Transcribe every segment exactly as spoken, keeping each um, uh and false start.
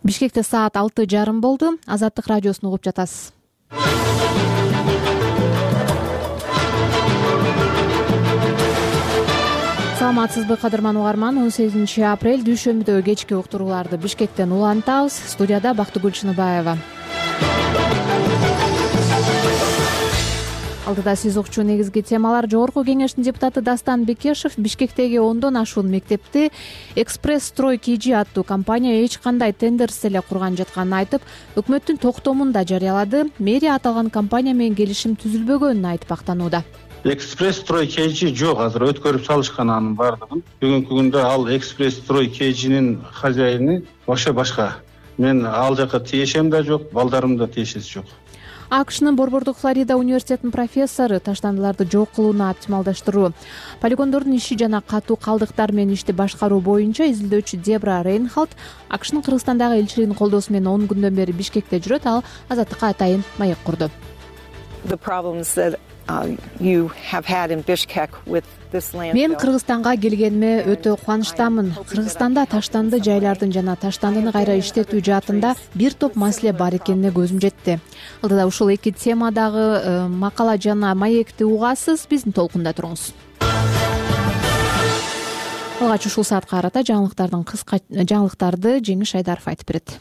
Бишкекте саат алты жарым болду. Азаттык радиосун угуп жатасыз. Саламатсызбы кадырман угарман. он сегизинчи апрель дүйшөмбүдө кечки уктурууларды Бишкектен улантабыз. Студияда Бактыгүл Чыныбаева. Алдыда сиз укчу негизги темалар. Жогорку кеңештин депутаты Дастан Бекешев Бишкектеги ондон ашуун мектепти Экспресс Строй КЖ аттуу компания эч кандай тендерсиз эле курган жатканын айтып, өкмөттүн токтомун да жарыялады. Мэрия аталган компания менен келишим түзүлбөгөнүн айтып актанууда. Экспресс Строй КЖ жок, азыр өткөрүп салышкан анын баардыгын. Бүгүнкү күндө ал Экспресс Строй КЖнин хозяйыны вообще башка. Мен ал жака тиешем да жок, балдарым да тиешеси жок. АКШнын Борбордук Флорида университетинин профессору таштандыларды жок кылууну оптималдаштыруу, полигондордун иши жана катуу калдыктар менен ишти башкаруу боюнча изилдөөчү Дебра Рейнхалд АКШнын Кыргызстандагы элчилигинин колдоосу менен он күндөн бери Бишкекте жүрөт. Ал Азаттыкка атайын маек курду. Мен Кыргызстанга келгениме өтө кубанычтамын. Кыргызстанда таштанды жайлардын жана таштандыны кайра иштетүү жаатында бир топ маселе бар экенине көзүм жетти. Алдыда ушул эки темадагы макала жана маекти угасыз. Биздин толкунда туруңуз. Алгач ушул саатка карата жаңылыктардын кыска жаңылыктарды Жеңиш Айдаров айтып берет.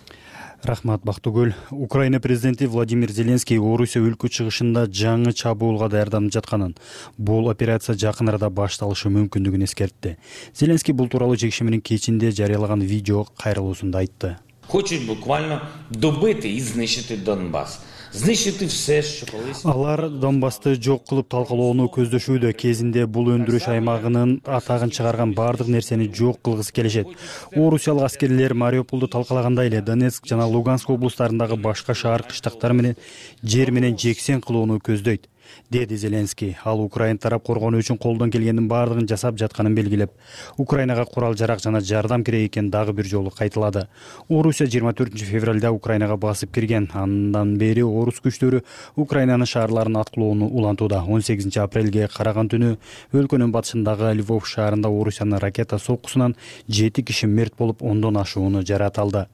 Рахмат, Бактыгүл. Украина президенти Владимир Зеленский Орусия өлкө чыгышында жаңы чабуулга даярданып жатканын, бул операция жакын арада башталышы мүмкүндүгүн эскертти. Зеленский бул тууралуу жекшембинин кечинде жарыялаган видео кайрылуусунда айтты. Хочуть буквально добити и знищити Донбас. Знищити все, що колись. Алар Донбасты жок кылып талкалоону көздөшүүдө. Кезинде бул өндүрүш аймагынын атагын чыгарган баардык нерсени жок кылгысы келишет. Орусиялык аскерлер Мариуполду талкалагандай эле Донецк жана Луганск облустарындагы башка шаар кыштактар менен жер менен жексен кылууну көздөйт, деди Зеленский. Ал Украина тарап коргонуу үчүн колдон келгендин баардыгын жасап жатканын белгилеп, Украинага курал жарак жана жардам керек экенин дагы бир жолу кайталады. Орусия жыйырма төртүнчү февралда Украинага басып кирген. Андан бери орус күчтөрү Украинанын шаарларын аткылоону улантууда. он сегизинчи апрелге караган түнү өлкөнүн батышындагы Львов шаарында Орусиянын ракета соккусунан жети киши мерт болуп, ондон ашууну жараталды.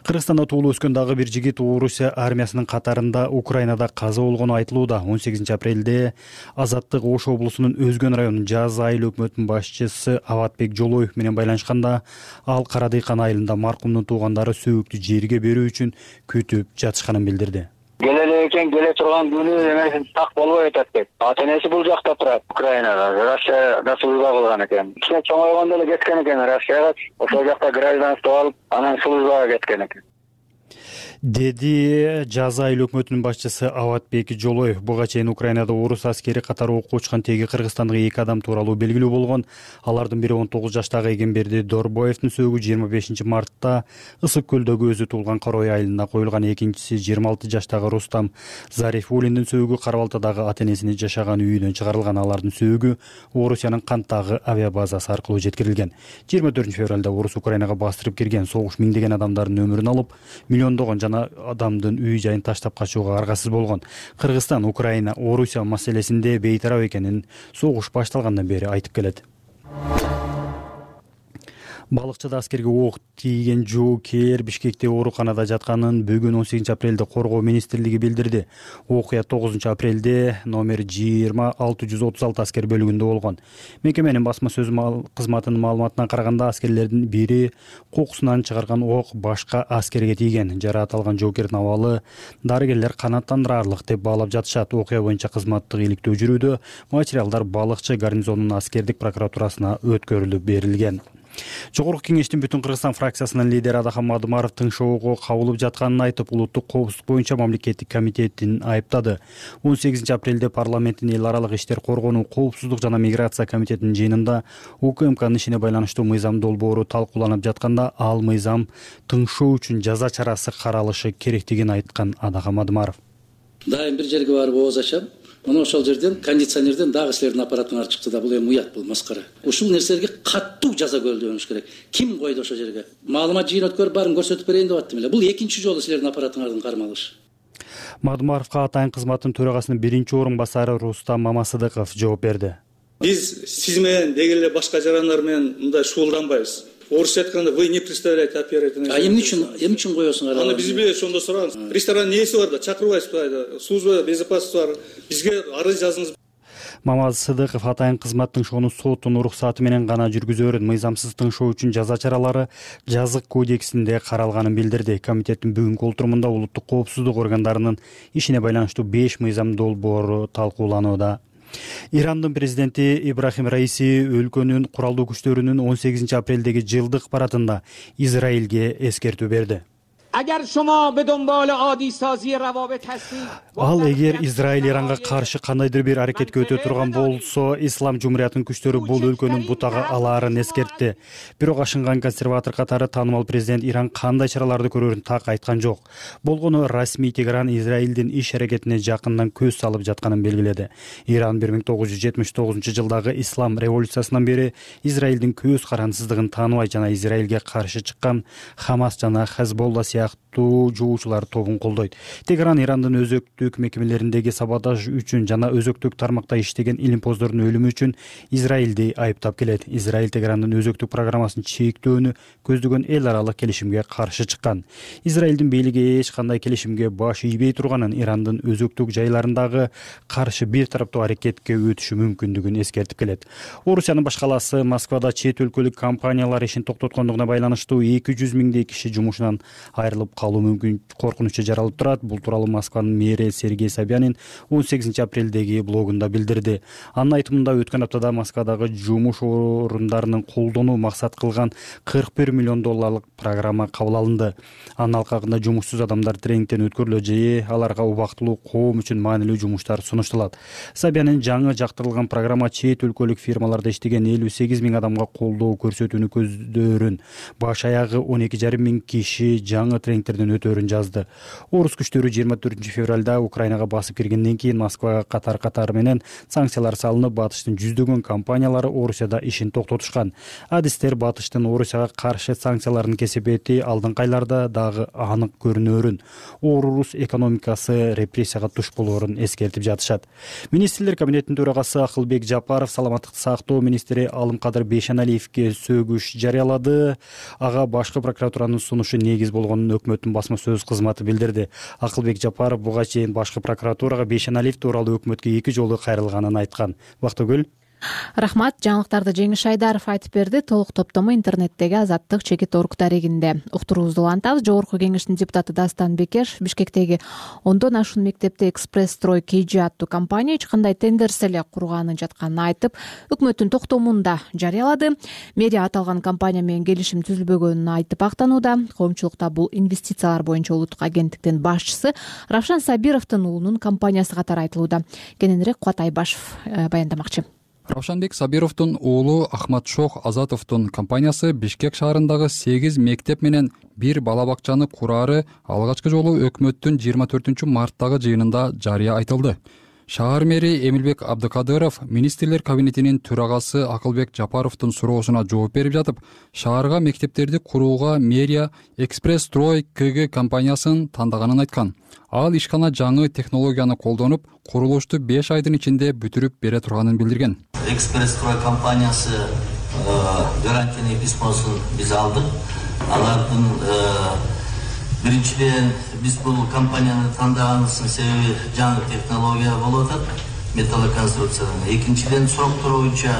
Кыргызстанда туулуп өскөн дагы бир жигит Орусия армиясынын катарында Украинада каза болгону айтылууда. он сегизинчи апрелде Азаттык Ош облусунун Өзгөн районунун Жаз айыл өкмөтүнүн башчысы Аватбек Жолоев менен байланышканда, ал Карадыйкан айылында маркумдун туугандары сөөктү жерге берүү үчүн күтүп жатышканын билдирди. Келеле экен, келе турган күнү эмесин так болбой атат деп. Ата-энеси бул жакта турат, Украинада. Россияда служба кылган экен. Кичине чоңойгондо эле кеткен экен Россияга. Ошол жакта гражданство алып, анан службага кеткен экен. Деди Жаз айыл өкмөтүнүн башчысы Аватбек Жолоев. Буга чейин Украинада орус аскери катары окко учкан теги кыргызстандык эки адам тууралуу белгилүү болгон. Алардын бири он тогуз жаштагы Эгемберди Дорбоевдин сөөгү жыйырма бешинчи мартта Ысык көлдөгү өзү туулган Карой айылына коюлган. Экинчиси жыйырма алты жаштагы Рустам Зарифуллиндин сөөгү Кара Балтадагы ата-энесинин жашаган үйүнөн чыгарылган. Алардын сөөгү Орусиянын Канттагы авиабазасы аркылуу жеткирилген. жыйырма төртүнчү февралда орус Украинага бастырып кирген. Согуш миңдеген адамдардын өмүрүн алып, миллиондогон жана адамдын үй жайын таштап качууга аргасыз болгон. Кыргызстан Украина Орусия маселесинде бейтарап экенин согуш башталгандан бери айтып келет. Балыкчыда аскерге ок тийген жоокер Бишкекте ооруканада жатканын бүгүн он сегизинчи апрелде Коргоо министрлиги билдирди. Окуя тогузунчу апрелде номер жыйырма алты жүз отуз алты аскер бөлүгүндө болгон. Мекеменин басма сөз кызматынын маалыматына караганда, аскерлердин бири кокусунан чыгарган ок башка аскерге тийген. Жаратылган жоокердин абалы дарыгерлер канааттандырарлык деп баалап жатышат. Окуя боюнча кызматтык иликтөө жүрүүдө. Материалдар балыкчы гарнизонунун аскердик прокуратурасына өткөрүлүп берилген. Жогорку кеңештин Бүтүн Кыргызстан фракциясынын лидери Адахан Мадымаров тыңшоого кабылып жатканын айтып, улуттук коопсуздук боюнча мамлекеттик комитетин айыптады. он сегизинчи апрелде парламенттин эл аралык иштер коргонуу, коопсуздук жана миграция комитетинин жыйынында УКМКнын ишине байланыштуу мыйзам долбоору талкууланып жатканда, ал мыйзам тыңшоо үчүн жаза чарасы каралышы керектигин айткан Адахан Мадымаров. Дайым бир жерге барып ооз ачам. Мына ошол жерден кондиционерден дагы силердин аппаратыңар чыкты да, бул эми уят, бул маскара. Ушул нерселерге каттуу жаза көрүлүш керек. Ким койду ошол жерге? Маалымат жыйын өткөрүп барын көрсөтүп берейин деп аттым эле. Бул экинчи жолу силердин аппаратыңардын кармалышы. Мадымаровго атайын кызматтын төрагасынын биринчи орун басары Рустам Мамасыдыков жооп берди. Биз сиз менен деги эле башка жарандар менен мындай шуулданбайбыз. орусча айтканда вы не представляете оператора. А эмне үчүн эмне үчүн коесуң ара? Аны биз билбейбиз, ошондо сураган. Ресторанның нээси бар да, чакырбайсызбы айда. Служба безопасности бар. Бизге арыз жазыңыз. Мамаз Сыдыков атайын кызматтын шону соттун уруксаты менен гана жүргүзөөрүн, мыйзамсыз тыңшоо үчүн жаза чаралары жазык кодексинде каралганын билдирди. Комитеттин бүгүнкү отурумунда улуттук коопсуздук органдарынын ишине байланыштуу беш мыйзам долбоору талкууланууда. Ирандын президенти Ибрахим Раиси өлкөнүн куралдуу күчтөрүнүн он сегизинчи апрелдеги жылдык парадында Израилге эскертүү берди. Ал эгер Израиль Иранга каршы кандайдыр бир аракетке өтө турган болсо, Ислам жумуриятынын күчтөрү бул өлкөнүн бутага алаарын эскертти. Бирок ашынган консерватор катары таанымал президент Иран кандай чараларды көрөрүн так айткан жок. Болгону расмий Тегеран Израилдин иш аракетине жакындан көз салып жатканын белгиледи. Иран бир миң тогуз жүз жетимиш тогузунчу жылдагы ислам революциясынан бери Израилдин көз карансыздыгын тааныбай жана Израилге каршы чыккан Хамас жана Хезболла сыяктуу жоочулар тобун колдойт. Тегеран Ирандын өзөктүк мекемелериндеги саботаж үчүн жана өзөктүк тармакта иштеген илимпоздордун өлүмү үчүн Израилди айыптап келет. Израиль Тегерандын өзөктүк программасын чектөөнү көздөгөн эл аралык келишимге каршы чыккан. Израилдин бийлиги эч кандай келишимге баш ийбей турганын, Ирандын өзөктүк жайларындагы каршы бир тараптуу аракетке өтүшү мүмкүндүгүн эскертип келет. Орусиянын баш калаасы Москвада чет өлкөлүк компаниялар ишин токтоткондугуна байланыштуу эки жүз миңдей киши жумушунан айрылып калуу мүмкүн коркунучу жаралып турат. Бул тууралуу Москванын мэри Сергей Собянин он сегизинчи апрелдеги блогунда билдирди. Анын айтымында өткөн аптада Москвадагы жумуш орундарынын колдонуу максат кылган кырк бир миллион долларлык программа кабыл алынды. Анын алкагында жумушсуз адамдар тренингден өткөрүлөт же аларга убактылуу коом үчүн маанилүү жумуштар сунушталат. Собянин жаңы жактырылган программа чет өлкөлүк фирмаларда иштеген элүү сегиз миң адамга колдоо көрсөтүүнү көздөөрүн, баш аягы он эки жарым миң киши жаңы тренингтерден өтөөрүн жазды. Орус күчтөрү жыйырма төртүнчү февралда Украинага басып киргенден кийин Москвага катар катары менен санкциялар салынып, Батыштын жүздөгөн компаниялары Орусияда ишин токтотушкан. Адистер Батыштын Орусияга каршы санкциялардын кесепети алдыңкы айларда дагы анык көрүнөөрүн, орус экономикасы репрессияга туш болоорун эскертип жатышат. Министрлер кабинетинин төрагасы Акылбек Жапаров саламаттыкты сактоо министри Алымкадыр Бейшеналиевге сөгүш жарыялады. Ага башкы прокуратуранын сунушу негиз болгонун өкмөттүн басма сөз кызматы билдирди. Акылбек Жапаров буга чейин башкы прокуратурага Бейшеналиев тууралуу өкмөткө эки жолу кайрылганын айткан. Бактыгүл. Рахмат. Жаңылыктарды Жеңиш Айдаров айтып берди. Толук топтому интернеттеги Азаттык чекит орг дарегинде. Уктуруубузду улантабыз. Жогорку кеңештин депутаты Дастан Бекешев Бишкектеги ондон ашуун мектепте Экспресс Строй Кж аттуу компания эч кандай тендерсиз эле курганын жатканын айтып, өкмөттүн токтомун да жарыялады. Мэрия аталган компания менен келишим түзүлбөгөнүн айтып актанууда. Коомчулукта бул инвестициялар боюнча улуттук агенттиктин башчысы Равшан Сабировдун уулунун компаниясы катары айтылууда. Кененирээк Кубат Айбашев баяндамакчы. Равшанбек Сабировдун уулу Ахматшох Азатовдун компаниясы Бишкек шаарындагы сегиз мектеп менен бир бала бакчаны кураары алгачкы жолу өкмөттүн жыйырма төртүнчү марттагы жыйынында жарыя айтылды. Шаар мэри Эмилбек Абдыкадыров министрлер кабинетинин төрагасы Акылбек Жапаровдун суроосуна жооп берип жатып, шаарга мектептерди курууга мэрия Экспресс Строй Кг компаниясын тандаганын айткан. Ал ишкана жаңы технологияны колдонуп, курулушту беш айдын ичинде бүтүрүп бере турганын билдирген. Экспресс Строй компаниясы гарантийный письмосун биз алдык. Алардын биринчиден биз бул компанияны тандаганыбыздын себеби жаңы технология болуп атат, металлоконструкциядан. Экинчиден суроктор боюнча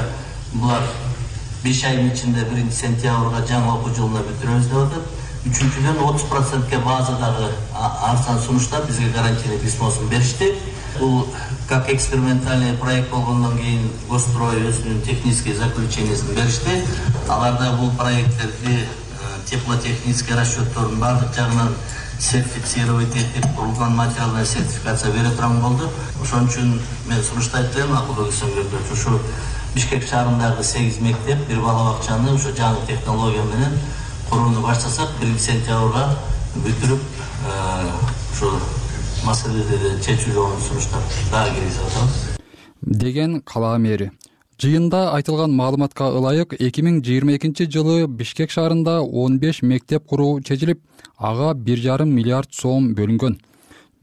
булар беш айдын ичинде биринчи сентябрга жаңы окуу жылына бүтүрөбүз деп атат. Үчүнчүдөн отуз процентке базадагы арзан сунуштар бизге гарантийный письмосун беришти. Бул как экспериментальный проект болгондон кийин Госстрой өзүнүн технический заключениясын беришти. Аларда бул проекттерди теплотехнический расчеттордун баардык жагынан сертифицировать этип, курулган материалдын сертификация бере турган болду. Ошон үчүн мен сунуштайт элем Акылбек Сабирович, ушу Бишкек шаарындагы сегиз мектеп, бир бала бакчаны ушу жаңы технология менен курууну баштасак, биринчи сентябрга бүтүрүп, ушу маселелерди чечүү жолун сунуштап дагы киргизип атабыз деген кала мэри. Жыйында айтылган маалыматка ылайык эки миң жыйырма экинчи жылы Бишкек шаарында он беш мектеп куруу чечилип, ага бир жарым миллиард сом бөлүнгөн.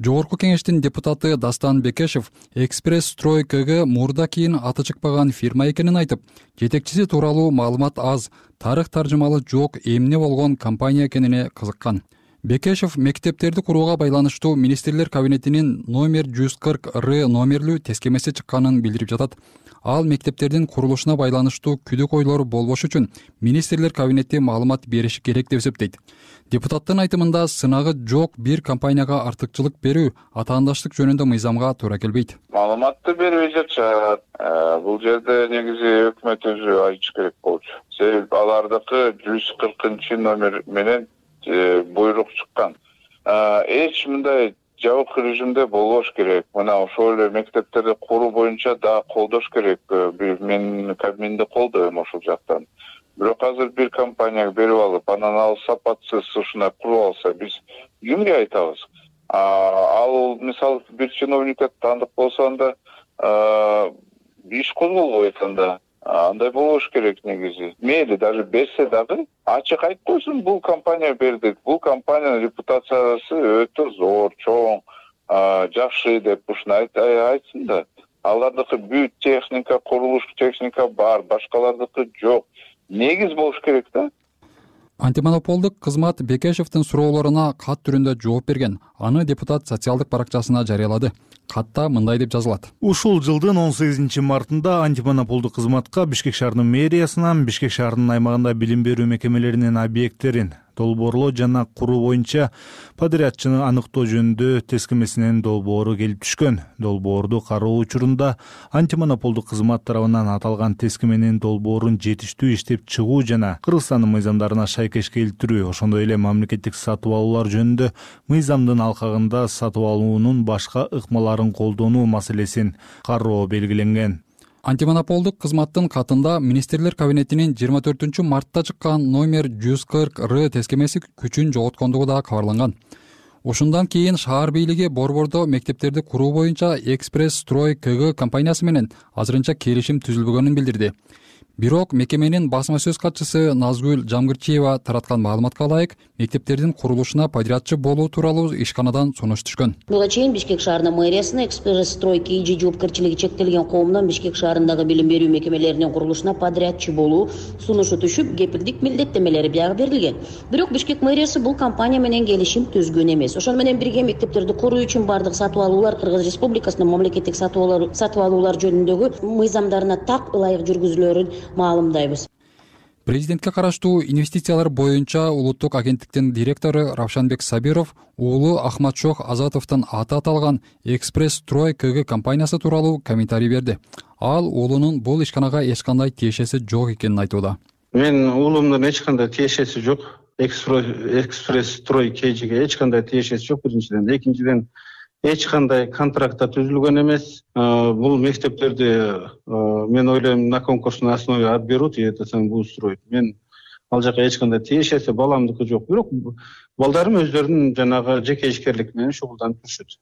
Жогорку кеңештин депутаты Дастан Бекешев Экспресс Строй КГ мурда кийин аты чыкпаган фирма экенин айтып, жетекчиси тууралуу маалымат аз, тарых таржымалы жок эмне болгон компания экенине кызыккан. Бекешев мектептерди курууга байланыштуу министрлер кабинетинин номер жүз кырк Р номерлүү тескемеси чыкканын билдирип жатат. Ал мектептердин курулушуна байланыштуу күдүк ойлор болбош үчүн министрлер кабинети маалымат бериши керек деп эсептейт. Депутаттын айтымында сынагы жок бир компанияга артыкчылык берүү атаандаштык жөнүндө мыйзамга туура келбейт. Маалыматты бербей жатышат. Бул жерде негизи өкмөт өзү айтыш керек болчу. Себеби алардыкы жүз кыркынчы номер менен буйрук чыккан. Эч мындай жабык режимде болбош керек. Мына ошол эле мектептерди куруу боюнча да колдош керек. Мен Кабминди колдойм ошол жактан. Бирок азыр бир компанияга берип алып, анан ал сапатсыз ушундай куруп алса, биз кимге айтабыз? Ал мисалы бир чиновникке таандык болсо анда иш козголбойт анда. Андай болуш керек негизи. Мейли даже берсе дагы ачык айтып койсун, бул компания бердик. Бул компаниянын репутациясы өтө зор, чоң, жакшы деп ушуну айтсын да. Алардыкы бүт техника, курулуш техника бар, башкалардыкы жок. Негиз болуш керек да. Антимонополдук кызмат Бекешевдин суроолоруна кат түрүндө жооп берген. Аны депутат социалдык баракчасына жарыялады. Катта мындай деп жазылат. Ушул жылдын он сегизинчи мартында антимонополдук кызматка Бишкек шаарынын мэриясынан Бишкек шаарынын аймагында билим берүү мекемелеринин объекттерин долбоорлоо жана куруу боюнча подрядчыны аныктоо жөнүндө тескемесинин долбоору келип түшкөн. Долбоорду кароо учурунда антимонополдук кызмат тарабынан аталган тескеменин долбоорун жетиштүү иштеп чыгуу жана Кыргызстандын мыйзамдарына шайкеш келтирүү, ошондой эле мамлекеттик сатып алуулар жөнүндө мыйзамдын алкагында сатып алуунун башка ыкмаларын колдонуу маселесин кароо белгиленген. Антимонополдук кызматтын катында министрлер кабинетинин жыйырма төртүнчү мартта чыккан номер жүз кырк Р тескемеси күчүн жоготкондугу да кабарланган. Ушундан кийин шаар бийлиги борбордо мектептерди куруу боюнча Экспресс Строй КГ компаниясы менен азырынча келишим түзүлбөгөнүн билдирди. Бирок мекеменин басма сөз катчысы Назгүл Жамгырчиева тараткан маалыматка ылайык, мектептердин курулушуна подрядчы болуу тууралуу ишканадан сунуш түшкөн. Буга чейин Бишкек шаарынын мэриясына Экспресс Строй КЖ жоопкерчилиги чектелген коомдон Бишкек шаарындагы билим берүү мекемелеринин курулушуна подрядчы болуу сунушу түшүп, кепилдик милдеттемелери биягы берилген. Бирок Бишкек мэриясы бул компания менен келишим түзгөн эмес. Ошону менен бирге мектептерди куруу үчүн бардык сатып алуулар Кыргыз Республикасынын мамлекеттик сатып алуулар жөнүндөгү мыйзамдарына так ылайык жүргүзүлөрүн маалымдайбыз. Президентке караштуу инвестициялар боюнча улуттук агенттиктин директору Равшанбек Сабиров уулу Ахматшох Азатовдун аты аталган Экспресс Строй КГ компаниясы тууралуу комментарий берди. Ал уулунун бул ишканага эч кандай тиешеси жок экенин айтууда. Мен уулумдун эч кандай тиешеси жок. Экспресс Строй КЖге эч кандай тиешеси жок биринчиден. Экинчиден эч кандай контрактта түзүлгөн эмес. Бул мектептерди мен ойлойм на конкурсной основе отберут и это самоустроить. Мен ал жака эч кандай тиешеси баламдыкы жок. Бирок балдарым өздөрүнүн жанагы жеке ишкерлик менен шугулданып жүрүшөт.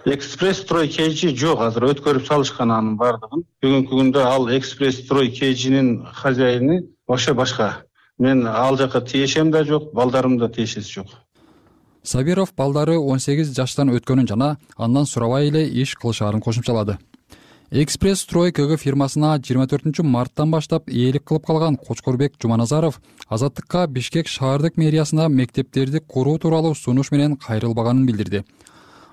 Экспресс Строй КЖ жок, азыр өткөрүп салышкан анын бардыгын. Бүгүнкү күндө ал Экспресс Строй КЖнин хозяйыны вообще башка. Мен ал жака тиешем да жок, балдарым да тиешеси жок. Сабиров балдары он сегиз жаштан өткөнүн жана андан сурабай эле иш кылышаарын кошумчалады. Экспресс Строй КГ фирмасына жыйырма төртүнчү марттан баштап ээлик кылып калган Кочкорбек Жуманазаров Азаттыкка Бишкек шаардык мэриясына мектептерди куруу тууралуу сунуш менен кайрылбаганын билдирди.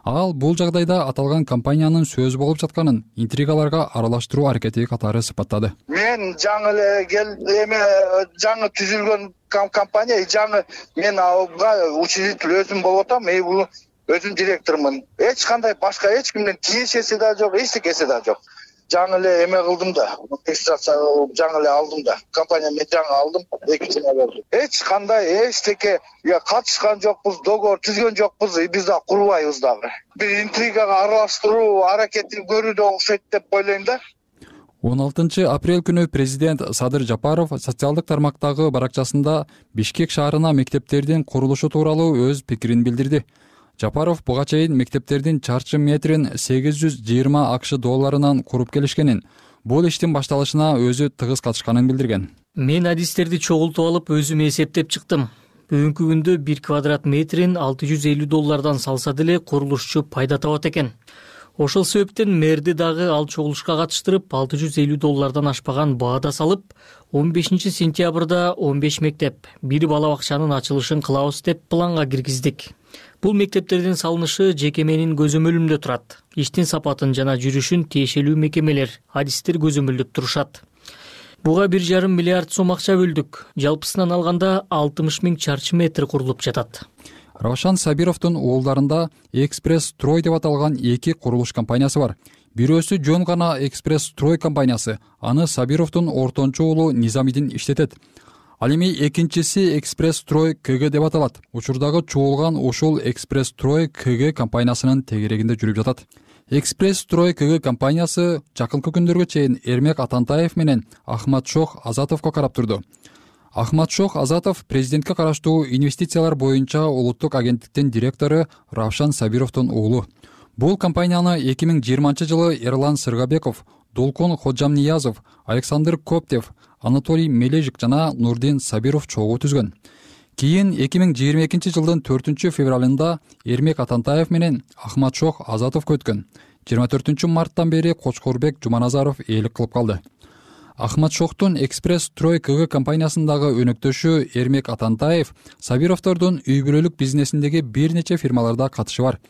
Ал бул жагдайда аталган компаниянын сөз болуп жатканын интригаларга аралаштыруу аракети катары сыпаттады. Мен жаңы эле кел эме жаңы түзүлгөн компания, жаңы мен ага учредитель өзүм болуп атам, мен бул өзүм директормун. Эч кандай башка эч кимден тиешеси да жок, эчтекеси да жок. Жаңы эле эме кылдым да, регистрация жаңы эле алдым да. Компания мен жаңы алдым, экинчине бердим. Эч кандай эчтеке я катышкан жокпуз, договор түзгөн жокпуз, биз да курбайбыз дагы. Бир интригага аралаштыруу аракетин көрүүдө окшойт деп ойлойм да. он алтынчы апрель күнү президент Садыр Жапаров социалдык тармактагы баракчасында Бишкек шаарына мектептердин курулушу тууралуу өз пикирин билдирди. Жапаров буга чейин мектептердин чарчы метрин сегиз жүз жыйырма акш долларынан куруп келишкенин, бул иштин башталышына өзү тыгыз катышканын билдирген. Мен адистерди чогултуп алып өзүм эсептеп чыктым. Бүгүнкү күндө бир квадрат метрин алты жүз элүү доллардан салса деле курулушчу пайда табат экен. Ошол себептен мэрди дагы ал чогулушка катыштырып, алты жүз элүү доллардан ашпаган баада салып, он бешинчи сентябрда он беш мектеп, бир бала бакчанын ачылышын кылабыз деп планга киргиздик. Бул мектептердин салынышы жекеменин көзөмөлүндө турат. Иштин сапатын жана жүрүшүн тиешелүү мекемелер, адистер көзөмөлдөп турушат. Буга бир жарым миллиард сом акча бөлдүк. Жалпысынан алганда алтымыш миң чарчы метр курулуп жатат. Равшан Сабировдун уулдарында Экспресс Строй деп аталган эки курулуш компаниясы бар. Бирөөсү жөн гана Экспресс Строй компаниясы, аны Сабировдун ортончу уулу Низамидин иштетет. Ал эми экинчиси Экспресс Строй КГ деп аталат. Учурдагы чуулган ушул Экспресс Строй КГ компаниясынын тегерегинде жүрүп жатат. Экспресс Строй КГ компаниясы жакынкы күндөргө чейин Эрмек Атантаев менен Ахматшох Азатовго карап турду. Ахматшох Азатов президентке караштуу инвестициялар боюнча улуттук агенттиктин директору Равшан Сабировдун уулу. Бул компанияны эки миң жыйырманчы жылы Эрлан Сыргабеков, Долкун Ходжамниязов, Александр Коптев, Анатолий Мележик жана Нурдин Сабиров чогуу түзгөн. Кийин эки миң жыйырма экинчи жылдын төртүнчү февралында Эрмек Атантаев менен Ахматшох Азатов өткөн. жыйырма төртүнчү марттан бери Кочкорбек Жуманазаров ээлик кылып калды. Ахматшохтун Экспресс Строй КГ компаниясындагы өнөктөшү Эрмек Атантаев Сабировдордун үй бүлөлүк бизнесиндеги бир нече фирмаларда катышы бар.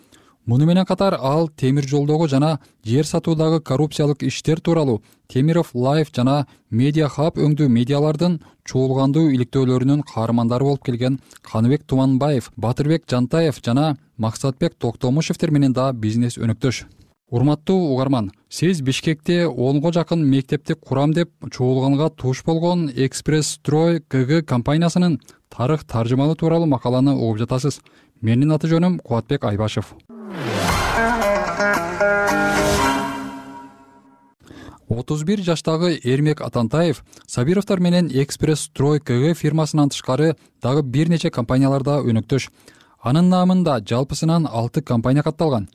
Муну менен катар ал темир жолдогу жана жер сатуудагы коррупциялык иштер тууралуу Темиров Лайф жана Медиа Хаб өңдүү медиалардын чуулгандуу иликтөөлөрүнүн каармандары болуп келген Каныбек Туманбаев, Батырбек Жантаев жана Максатбек Токтомушевтер менен да бизнес өнөктөш. Урматтуу угарман, сиз Бишкекте онго жакын мектепти курам деп чуулганга туш болгон Экспресс Строй КГ компаниясынын тарых таржымалы тууралуу макаланы угуп жатасыз. Менин аты жөнүм Кубатбек Айбашев. отуз бир жаштагы Эрмек Атантаев Сабировдор менен Экспресс Строй КГ фирмасынан тышкары дагы бир нече компанияларда өнөктөш. Анын наамында жалпысынан алты компания катталган.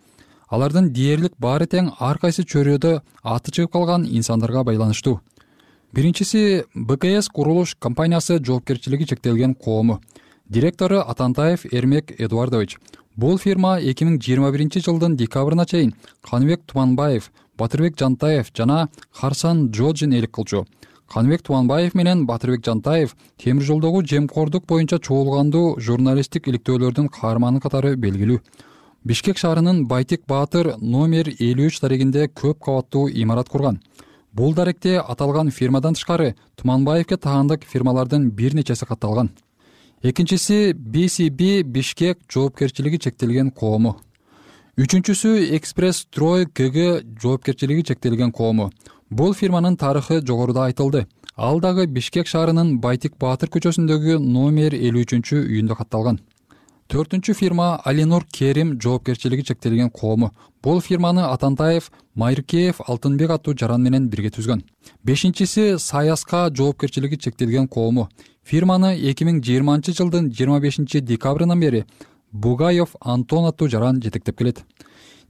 Алардын дээрлик баары тең ар кайсы чөйрөдө аты чыгып калган инсандарга байланыштуу. Биринчиси БКС курулуш компаниясы жоопкерчилиги чектелген коому. Директору Атантаев Эрмек Эдуардович. Бул фирма эки миң жыйырма биринчи жылдын декабрына чейин Каныбек Туманбаев, Батырбек Жантаев жана Харсан Джоджин ээлик кылчу. Каныбек Туманбаев менен Батырбек Жантаев темир жолдогу жемкордук боюнча чуулгандуу журналисттик иликтөөлөрдүн каарманы катары белгилүү. Бишкек шаарынын Байтик Баатыр номер элүү үч дарегинде көп кабаттуу имарат курган. Бул даректе аталган фирмадан тышкары Туманбаевке таандык фирмалардын бир нечеси катталган. Экинчиси би си би Бишкек жоопкерчилиги чектелген коому. Үчүнчүсү Экспресс Строй КГ жоопкерчилиги чектелген коому. Бул фирманын тарыхы жогоруда айтылды. Ал дагы Бишкек шаарынын Байтик Баатыр көчөсүндөгү номер элүү үчүнчү үйүндө катталган. Төртүнчү фирма Алинур Керим жоопкерчилиги чектелген коому. Бул фирманы Атантаев, Майркеев, Алтынбек аттуу жаран менен бирге түзгөн. Бешинчиси Саяска жоопкерчилиги чектелген коому. Фирманы эки миң жыйырманчы жылдын жыйырма бешинчи декабрынан бери Бугаев Антон аттуу жаран жетектеп келет.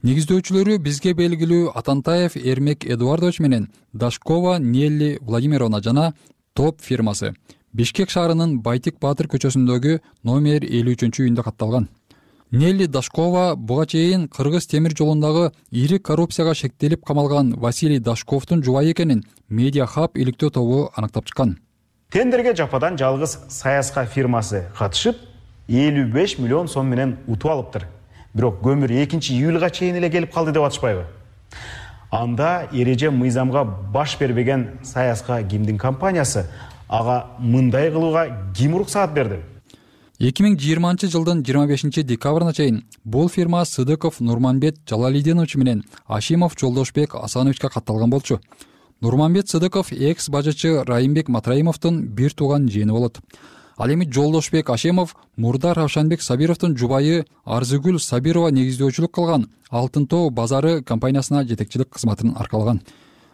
Негиздөөчүлөрү бизге белгилүү Атантаев Эрмек Эдуардович менен Дашкова Нелли Владимировна жана Топ фирмасы. Бишкек шаарынын Байтик Баатыр көчөсүндөгү номер элүү үчүнчү үйүндө катталган. Нелли Дашкова буга чейин Кыргыз темир жолундагы ири коррупцияга шектелип камалган Василий Дашковдун жубайы экенин Медиа Хаб иликтөө тобу аныктап чыккан. Тендерге жападан жалгыз Саяска фирмасы катышып, элүү беш миллион сом менен утуп алыптыр. Бирок көмүр экинчи июлга чейин эле келип калды деп атышпайбы? Анда эреже мыйзамга баш бербеген Саяска кимдин компаниясы, ага мындай кылууга ким уруксаат берди? эки миң жыйырманчы жылдын жыйырма бешинчи декабрына чейин бул фирма Сыдыков Нурманбет Жалалидинович менен Ашимов Жолдошбек Асановичке катталган болчу. Нурманбет Сыдыков экс бажычы Райымбек Матраимовдун бир тууган жээни болот. Ал эми Жолдошбек Ашимов мурда Равшанбек Сабировдун жубайы Арзыгүл Сабирова негиздөөчүлүк кылган Алтын тоо базары компаниясына жетекчилик кызматын аркалаган.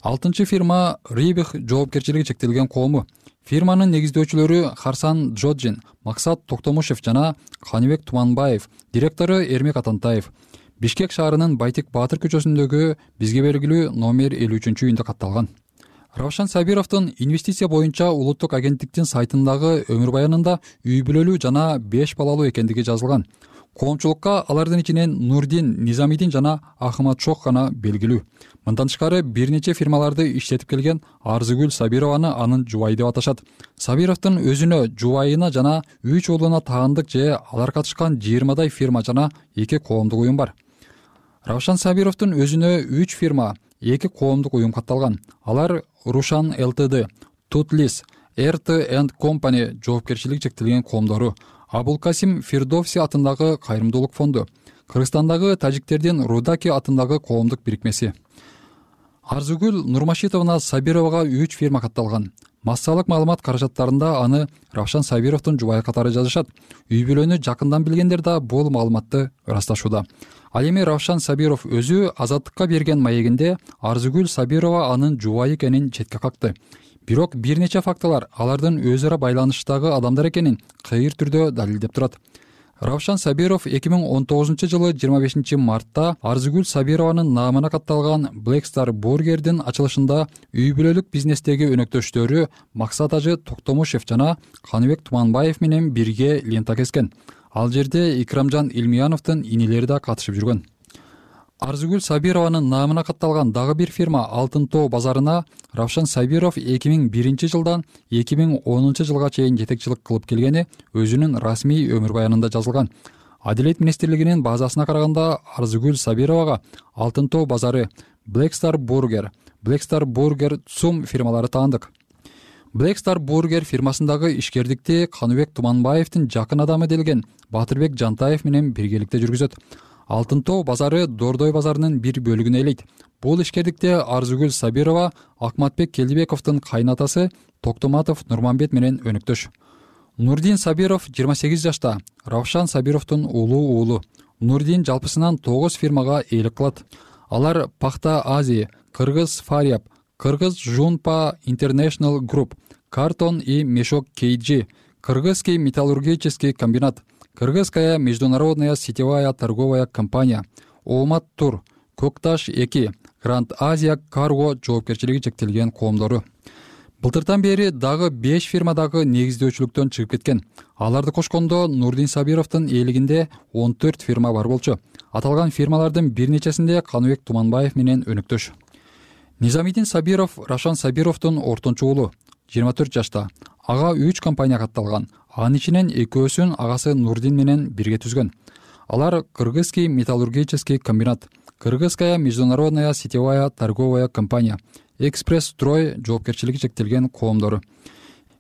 Алтынчы фирма Рибих жоопкерчилиги чектелген коому. Фирманын негиздөөчүлөрү Харсан Джоджин, Максат Токтомушев жана Каныбек Туманбаев, директору Эрмек Атантаев. Бишкек шаарынын Байтик Баатыр көчөсүндөгү бизге белгилүү номер элүү үчүнчү үйүндө катталган. Равшан Сабировдун инвестиция боюнча улуттук агенттиктин сайтындагы өмүр баянында үй бүлөлүү жана беш балалуу экендиги жазылган. Коомчулукка алардын ичинен Нурдин Низамидин жана Ахмат Шох гана белгилүү. Мындан тышкары бир нече фирмаларды иштетип келген Арзыгүл Сабированы анын жубайы деп аташат. Сабировдун өзүнө, жубайына жана үч уулуна таандык же алар катышкан жыйырмадай фирма жана эки коомдук уюм бар. Равшан Сабировдун өзүнө үч фирма, эки коомдук уюм катталган. Алар Рушан ЛТД, Тутлис, эр тэ энд Company жоопкерчилиги чектелген коомдору, Абулкасим Фирдовси атындагы кайрымдуулук фонду, Кыргызстандагы тажиктердин Рудаки атындагы коомдук бирикмеси. Арзыгүл Нурмашитовна Сабировага үч фирма катталган. Массалык маалымат каражаттарында аны Равшан Сабировдун жубайы катары жазышат. Үй бүлөнү жакындан билгендер да бул маалыматты ырасташууда. Ал эми Равшан Сабиров өзү Азаттыкка берген маегинде Арзыгүл Сабирова анын жубайы экенин четке какты. Бирок бир нече фактылар алардын өзара байланыштагы адамдар экенин кыйыр түрдө далилдеп турат. Равшан Сабиров эки миң он тогузунчу жылы жыйырма бешинчи мартта Арзыгүл Сабированын наамына катталган Black Star Burger'дин ачылышында үй бүлөлүк бизнестеги өнөктөштөрү Максат Ажы Токтомушев жана Каныбек Туманбаев менен бирге лента кескен. Ал жерде Икрамжан Илмияновдун инелери да катышып жүргөн. Арзыгүл Сабированын наамына катталган дагы бир фирма Алтын тоо базарына Равшан Сабиров эки миң биринчи жылдан эки миң онунчу жылга чейин жетекчилик кылып келгени өзүнүн расмий өмүр баянында жазылган. Адилет министрлигинин базасына караганда Арзыгүл Сабировага Алтын тоо базары, Black Star Burger, Black Star Burger Цум фирмалары таандык. Black Star Burger фирмасындагы ишкердикти Каныбек Туманбаевдин жакын адамы делген Батырбек Жантаев менен биргеликте жүргүзөт. Алтын тоо базары Дордой базарынын бир бөлүгүн ээлейт. Бул ишкердикте Арзыгүл Сабирова Акматбек Келдибековдун кайнатасы Токтоматов Нурманбет менен өнөктөш. Нурдин Сабиров жыйырма сегиз жашта, Равшан Сабировдун уулу уулу. Нурдин жалпысынан тогуз фирмага ээлик кылат. Алар Пахта Азия, Кыргыз Фариаб, Кыргыз Жунпа International Group, Картон и Мешок Кейджи, Кыргызский металлургический комбинат, Кыргызская международная сетевая торговая компания, Омат Тур, Кокташ эки, Гранд Азия Карго жоопкерчилиги чектелген коомдору. Былтыртан бери дагы беш фирмадагы негиздөөчүлүктөн чыгып кеткен. Аларды кошкондо Нурдин Сабировдун ээлигинде он төрт фирма бар болчу. Аталган фирмалардын бир нечесинде Каныбек Туманбаев менен өнөктөш. Низамидин Сабиров Равшан Сабировдун ортончу уулу, жыйырма төрт жашта. Ага үч компания катталган. Анын ичинен экөөсүн агасы Нурдин менен бирге түзгөн. Алар Кыргызский металлургический комбинат, Кыргызская международная сетевая торговая компания, Экспресс Строй жоопкерчилиги чектелген коомдору.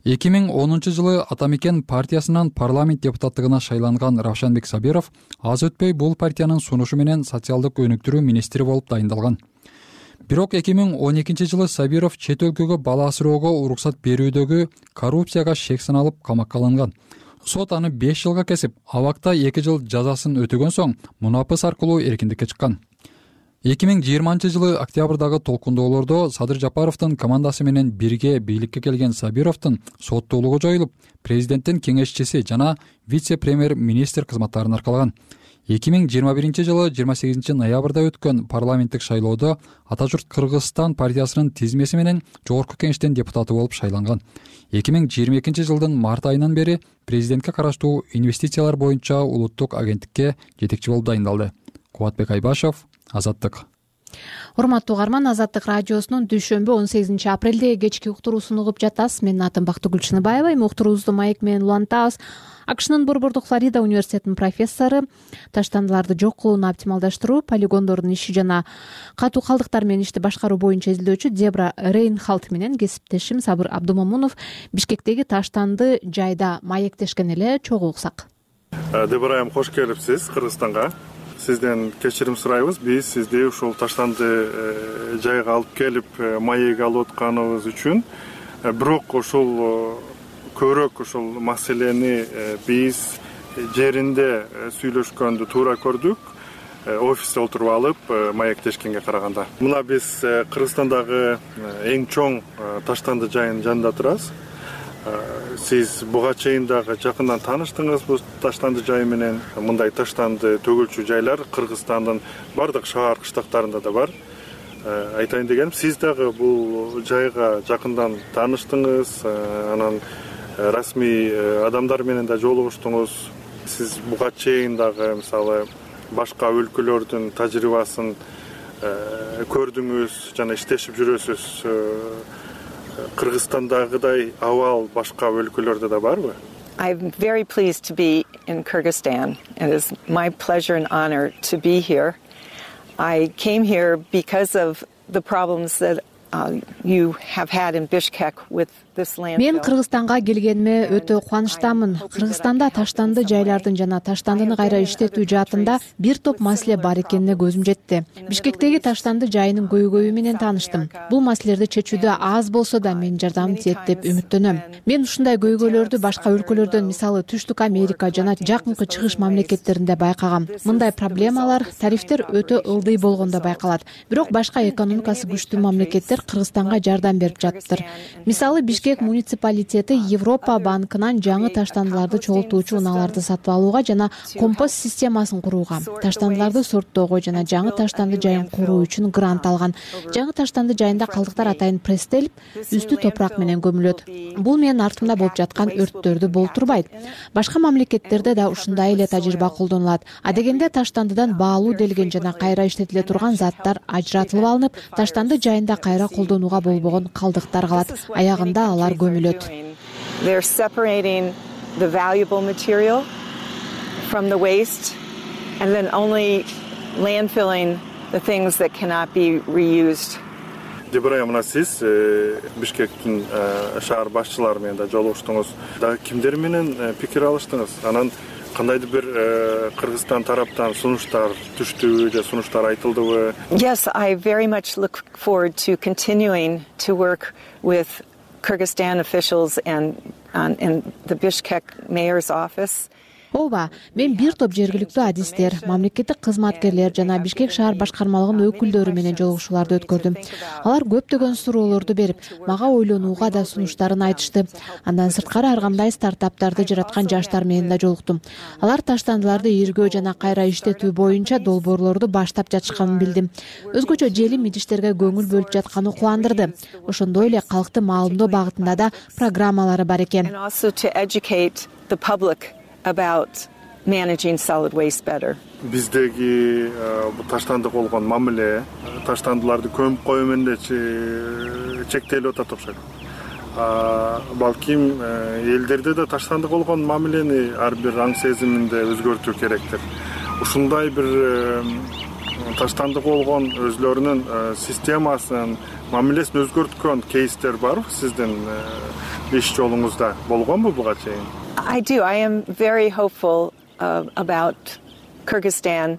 эки миң онунчу жылы Атамекен партиясынан парламент депутаттыгына шайланган Равшанбек Сабиров аз өтпөй бул партиянын сунушу менен социалдык өнүктүрүү министри болуп дайындалган. Бирок эки миң он экинчи жылы Сабиров чет өлкөгө бала асыроого уруксат берүүдөгү коррупцияга шек саналып камакка алынган. Сот аны беш жылга кесип, абакта эки жыл жазасын өтөгөн соң мунапыс аркылуу эркиндикке чыккан. эки миң жыйырманчы жылы октябрдагы толкундоолордо Садыр Жапаровдун командасы менен бирге бийликке келген Сабировдун соттуулугу жоюлуп, президенттин кеңешчиси жана вице-премьер-министр кызматтарын аркалаган. эки миң жыйырма биринчи жылы жыйырма сегизинчи ноябрда өткөн парламенттик шайлоодо Ата журт Кыргызстан партиясынын тизмеси менен жогорку кеңештин депутаты болуп шайланган. эки миң жыйырма экинчи жылдын март айынан бери президентке караштуу инвестициялар боюнча улуттук агенттикке жетекчи болуп дайындалды. Кубатбек Айбашев, Азаттык. Урматтуу угарман, Азаттык радиосунун дүйшөмбү он сегизинчи апрелде кечки уктуруусун угуп жатасыз. Менин атым Бактыгүл Чыныбаева. Эми уктуруубузду маек менен улантабыз. АКШнын Борбордук Флорида университетинин профессору, таштандыларды жок кылууну оптималдаштыруу, полигондордун иши жана катуу калдыктар менен ишти башкаруу боюнча изилдөөчү Дебра Рейнхалт менен кесиптешим Сабыр Абдумамунов Бишкектеги таштанды жайда маектешкен эле. Чогуу уксак. Дебра айым, кош келипсиз Кыргызстанга. Сизден кечирим сурайбыз. Биз сизди ушул таштанды жайга алып келип маек алып атканыбыз үчүн. Бирок ушул көбүрөөк ушул маселени биз жеринде сүйлөшкөндү туура көрдүк. Офисте отуруп алып маектешкенге караганда. Мына биз Кыргызстандагы эң чоң таштанды жайынын жанында турабыз. Сиз буга чейин дагы жакындан тааныштыңыз бул таштанды жай менен. Мындай таштанды төгүлчү жайлар Кыргызстандын бардык шаар кыштактарында да бар. айтайын дегеним, сиз дагы бул жайга жакындан тааныштыңыз, анан расмий адамдар менен да жолугуштуңуз. Сиз буга чейин дагы мисалы башка өлкөлөрдүн тажрыйбасын көрдүңүз жана иштешип жүрөсүз. Кыргызстандагыдай абал башка өлкөлөрдө да барбы? I'm very pleased to be in Kyrgyzstan. It is my pleasure and honor to be here. I came here because of the problems that uh, you have had in Bishkek with this landfill. Мен Кыргызстанга келгениме өтө кубанычтамын. Кыргызстанда таштанды жайлардын жана таштандыны кайра иштетүү жаатында бир топ маселе бар экенине көзүм жетти. Бишкектеги таштанды жайынын көйгөйү менен тааныштым. Бул маселелерди чечүүдө аз болсо да менин жардамым тиет деп үмүттөнөм. Мен ушундай көйгөйлөрдү башка өлкөлөрдөн, мисалы Түштүк Америка жана жакынкы чыгыш мамлекеттеринде байкагам. Мындай проблемалар, тарифтер өтө ылдый болгондо байкалат. Бирок башка экономикасы күчтүү мамлекеттер Кыргызстанга жардам берип жатыптыр. Мисалы Бишкек муниципалитети Европа банкынан жаңы таштандыларды чогултуучу унааларды сатып алууга жана компост системасын курууга, таштандыларды сорттоого жана жаңы таштанды жайын куруу үчүн грант алган. Жаңы таштанды жайында калдыктар атайын пресстелип, үстү топурак менен көмүлөт. Бул менин артымда болуп жаткан өрттөрдү болтурбайт. Башка мамлекеттерде да ушундай эле тажрыйба колдонулат. Адегенде таштандыдан баалуу делген жана кайра иштетиле турган заттар ажыратылып алынып, таштанды жайында кайра колдонууга болбогон калдыктар калат. Аягында алар көмүлөт. They're separating the valuable material from the waste and then only landfilling the things that cannot be reused. Дебрая, мына сиз Бишкектин шаар башчылары менен да жолугуштуңуз. Дагы кимдер менен пикир алыштыңыз? Анан кандайдыр бир Кыргызстан тараптан сунуштар түштүбү же сунуштар айтылдыбы? Yes, I very much look forward to continuing to work with Kyrgyzstan officials and um, in the Bishkek mayor's office. Ооба, мен бир топ жергиликтүү адистер, мамлекеттик кызматкерлер жана Бишкек шаар башкармалыгынын өкүлдөрү менен жолугушууларды өткөрдүм. Алар көптөгөн суроолорду берип, мага ойлонууга да сунуштарын айтышты. Андан сырткары ар кандай стартаптарды жараткан жаштар менен да жолуктум. Алар таштандыларды иргөө жана кайра иштетүү боюнча долбоорлорду баштап жатышканын билдим. Өзгөчө желим идиштерге көңүл бөлүп жатканы кубандырды. Ошондой эле калкты маалымдоо багытында да программалары бар экен. About managing solid waste better. Биздеги бу таштандык болгон мамиле таштандыларды көмүп коюу менен эле чектелип атат окшойт. Балким элдерде да таштандык болгон мамилени ар бир аң сезиминде өзгөртүү керектир. Ушундай бир таштандык болгон өзлөрүнүн системасын, мамилесин өзгөрткөн кейстер барбы сиздин иш жолуңузда? Болгонбу буга чейин? I do. I am very hopeful uh, about Kyrgyzstan.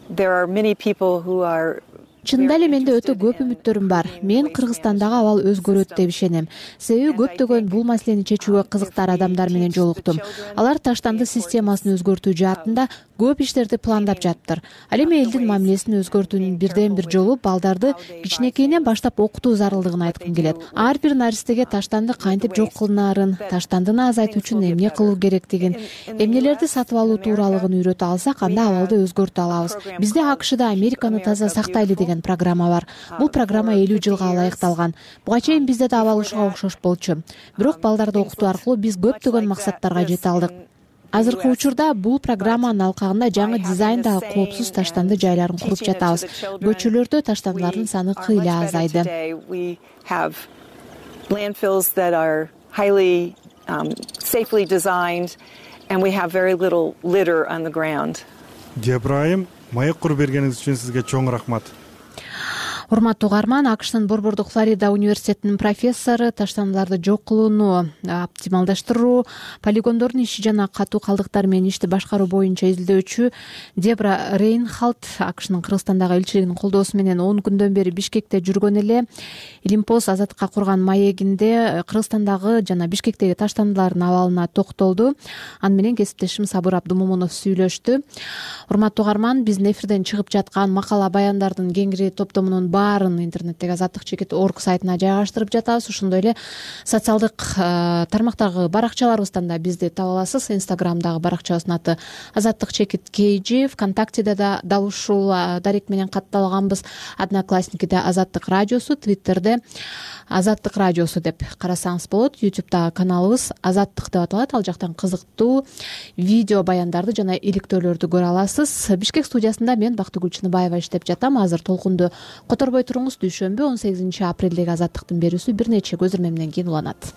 There are many people who are Чында эле менде өтө көп үмүттөрүм бар. Мен Кыргызстандагы абал өзгөрөт деп ишенем. Себеби көптөгөн бул маселени чечүүгө кызыктар адамдар менен жолуктум. Алар таштанды системасын өзгөртүү жаатында көп иштерди пландап жатыптыр. Ал эми элдин мамилесин өзгөртүүнүн бирден бир жолу балдарды кичинекейинен баштап окутуу зарылдыгын айткым келет. Ар бир наристеге таштанды кантип жок кылынаарын, таштандыны азайтуу үчүн эмне кылуу керектигин, эмнелерди сатып алуу тууралыгын үйрөтө алсак, анда абалды өзгөртө алабыз. Бизде АКШда Американы таза сактайлы деген программа бар. Бул программа элүү жылга ылайыкталган. Буга чейин бизде да абал ушуга окшош болчу. Бирок балдарды окутуу аркылуу биз көптөгөн максаттарга жете алдык. Азыркы учурда бул программанын алкагында жаңы дизайндагы коопсуз таштанды жайларын куруп жатабыз. Көчөлөрдө таштандылардын саны кыйла азайды. Landfills that are highly um, safely designed and we have very little litter on the ground. Дебрайым, маек куруп бергениңиз үчүн сизге чоң рахмат. Урматтуу угарман, АКШтын Борбордук Флорида университетинин профессору, таштандыларды жок кылууну оптималдаштыруу, полигондордун иши жана катуу калдыктар менен ишти башкаруу боюнча изилдөөчү Дебра Рейнхалт АКШнын Кыргызстандагы элчилигинин колдоосу менен он күндөн бери Бишкекте жүргөн эле. Илимпост азаттыкка курган маегинде Кыргызстандагы жана Бишкектеги таштандылардын абалына токтолду. Аны менен кесиптешим Сабыр Абдумомунов сүйлөштү. Урматтуу угарман, биздин эфирден чыгып жаткан макала баяндардын кеңири топтомунун баарын интернеттеги азаттык чекит точка орг сайтына жайгаштырып жатабыз. Ошондой эле социалдык тармактагы баракчаларыбыздан да бизди таба аласыз. Инстаграмдагы баракчабыздын аты азаттык чекит kg, ВКонтактеде да дал ушул дарек менен катталганбыз. Одноклассникиде азаттык радиосу, Твиттерде азаттык радиосу деп карасаңыз болот. Ютубтагы каналыбыз азаттык деп аталат. Ал жактан кызыктуу видео баяндарды жана иликтөөлөрдү көрө аласыз. Бишкек студиясында мен Бактыгүл Чыныбаева иштеп жатам. Азыр толкунду которбой туруңуз. Дүйшөмбү он сегизинчи апрелдеги азаттыктын берүүсү бир нече көзүрмө менен кийин уланат.